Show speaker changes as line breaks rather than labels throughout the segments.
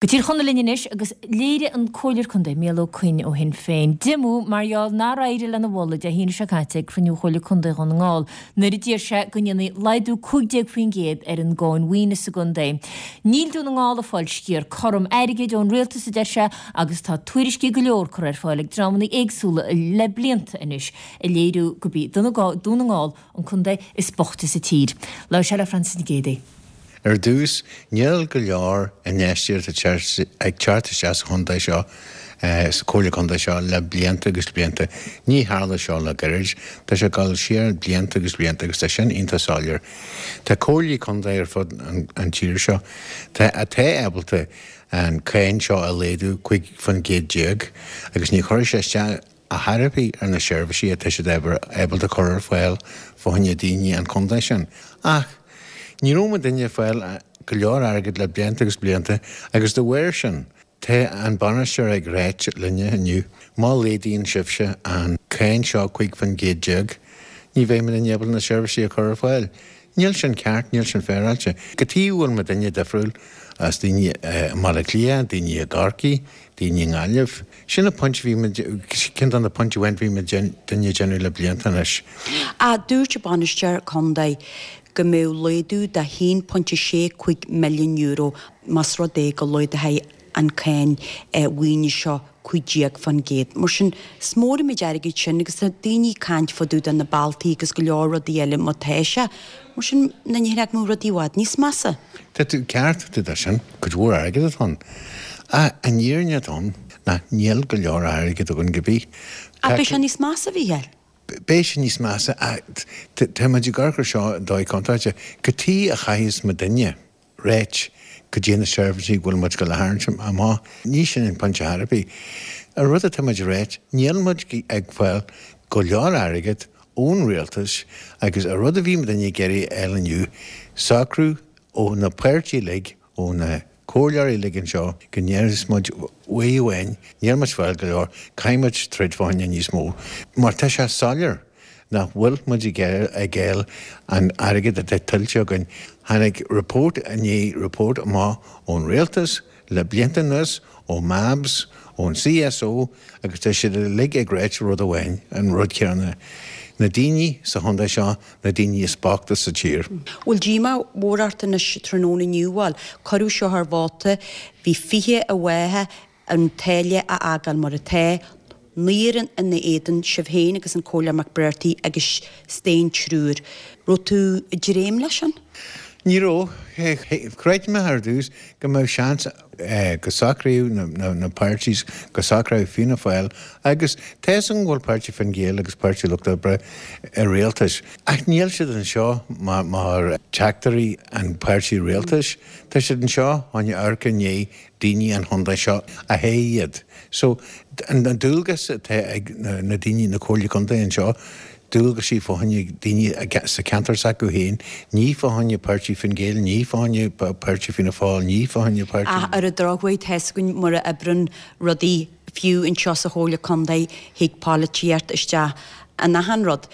Go Tír Chonaill linn anois agus léirigh an Comhairleoir Contae Micheál Ó Coinn ó Shinn Féin diomú mar gheall nár éirigh lena mholadh Dé hAoine seo caite ag cruinniú Chomhairle Contae Dhún na nGall nuair a d'iarr sé go ndéanfaí laghdú 15% ar an gcáin mhaoine sa gcontae. Níl Dún na nGall ag fáil sciar cothrom airgid ón rialtas a deir sé agus tá tuairiscí go leor curtha ar fáil ag dreamanna éagsúla le blianta anois ag léiriú gurb í Dún na nGall an contae is boichte sa tír. Labhair sé le Frances Nic Géadaigh.
Ar dtús, níl go leor infheistíocht ag teacht isteach sa chontae seo, sa chomhairle contae seo le blianta agus blianta. Ní tharla seo le gairid, tá sé ag dul siar blianta agus blianta agus tá sin iontach soiléir. Tá comhairlí contae ar fud an tír seo atá ábalta an cáin seo a laghdú 15% agus ní chuirfidh sé isteach a dhath ar bith ar na seirbhísí atá siad ábalta cur ar fáil fá choinne daoine an chontae sin. Ach ní raibh muidinne ag fáil go leor airgid le blianta agus blianta agus de bharr sin tá an bainisteoir ag ráit linne inniu má laghdaíonn sibhse an cáin seo 15% ní bheidh muidinne ábalta na seirbhísí a chur ar fáil. Níl sin ceart, níl sin féaráilte. Cad chuige a bhfuil muidinne difriúil as daoine i mBaile Átha Cliath, daoine i gCorcaigh, daoine i nGaillimh. Sin an pointe a bhí muid, ceann de na pointí amháin a bhí muidinne ag déanamh le blianta anois.
Ach dúirt an bainisteoir contae go mbeadh laghdú de €1.65 milliún más rud é go laghdófaí an cáin mhaoine seo 15%. Mar sin, is mór an méid airgid sin agus tá daoine ag caint fá dtaobh de na bealtaí agus go leor rudaí eile má tá sé. Mar sin, na nithe go mbeadh rudaí i bhfad níos measa.
Tá tú ceart fá dtaobh de sin, cuid mhór airgid atá ann. Ach an fhírinne atá ann ná níl go leor airgid againn go bith.
Ach beidh sé níos measa, a Mhícheáil.
Beidh sé níos measa ach tá muid ag amharc ar seo i dóigh contráilte. Cad chuige a chaithfeas muidinne ráit cad é na seirbhísí go bhfuil muid ag dul a tharraingt amach. Ní sin an pointe ar bith. An rud atá muid a ráit, níl muid ag fáil go leor airgead ón rialtas agus an rud a bhí muidinne ag iarraidh a fháil inniu, socrú ó na páirtí uilig, ó na comhairleoirí uilig anseo go ndéarfas muid uair amháin, níl muid ag fáil go leor, caithfidh muid troid fá choinne níos mó. Mar tá sé soiléir nach bhfuil muid ag fáil an airgead atá tuillte againn. Tháinig report i ndiaidh report amach ón rialtas le blianta anuas, ó MABS, ón CSO agus tá siad uilig ag ráit rud amháin, an rud céanna, na daoine sa chontae seo, na daoine is boichte sa tír.
Bhfuil díomá mhór ort anois tráthnóna inniu? Bhuel, cuireadh seo ar vóta, bhí 20 i bhfáth an táille a fhágáil mar atá, naonúr ina éadan, sibh féin agus an Comhairleoir McBrearty agus staon triúr. Raibh tú ag dréim leis sin?
Ní raibh. Chreid mé ar dtús go mbeadh seans go socraíodh na páirtís, go socródh Fianna Fáil agus tá fhios agam go bhfuil páirtí Fine Gael agus páirtí Lucht Oibre i rialtas ach níl siad anseo mar teachtairí an páirtí rialtais, tá siad anseo chun amharc i ndiaidh daoine an chontae seo a thoghadh iad. So, an dualgas atá ag na daoine, na comhairlí contae anseo, dualgaisí fá choinne daoine sa cheantar s'acu féin, ní fá choinne páirtí Fine Gael, ní fá choinne páirtí Fianna Fáil, ní fá choinne páirtí.
Ach ar an drochuair, tá fhios againn mar a oibreann rudaí, fiú anseo sa Chomhairle Contae, thig polaitíocht isteach in achan rud.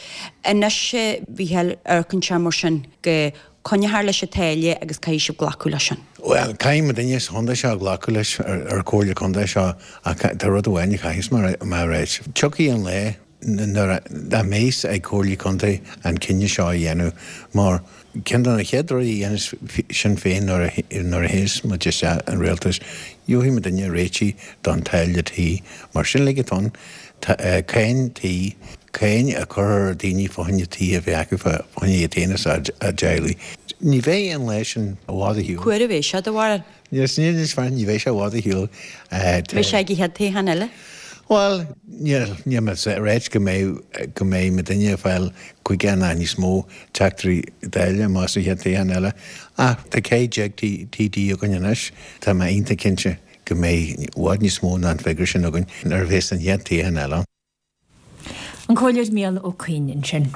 Anois, a Mhícheáil, amharcann sé mar sin go Coinneofar leis an táille agus caithfidh sibh glacadh leis sin.
Bhuel, caithfidh muidinne sa chontae seo glacadh leis ar Comhairle Contae seo ach tá rud amháin a chaithfeas mé a ráit. Tiocfaidh an lá nuair a bheas ag Comhairlí Contae an cinneadh seo a dhéanamh mar ceann de na chéad rudaí a dhéanfas Sinn Féin nuair a théas muid isteach an rialtas, gheobhaidh muidinne réitigh don táille tí mar sin uilig atá ann. Cáin tí. Cáin a chur ar daoine fá choinne tí a bheith acu fá choinne iad féin is a dteaghlaigh. Ní bheidh an lá sin i bhfad ar shiúl.
Cá huair a bheidh sé, do bharúil?
Níl, ní bheidh sé i bhfad ar shiúl.
Beidh sé ag an chéad toghchán eile?
Bhuel, níl, níl mé ag ráit go mbeidh, go mbeidh muidinne ag fáil 50 ná níos mó teachtaí Dála amach sa chéad toghchán eile. Ach tá 15 TD againn anois, tá mé iontach cinnte go mbeidh i bhfad níos mó ná an figiúr sin againn nuair a bheas an chéad toghchán eile ann.
An Comhairleoir Micheál Ó Coinn ansin.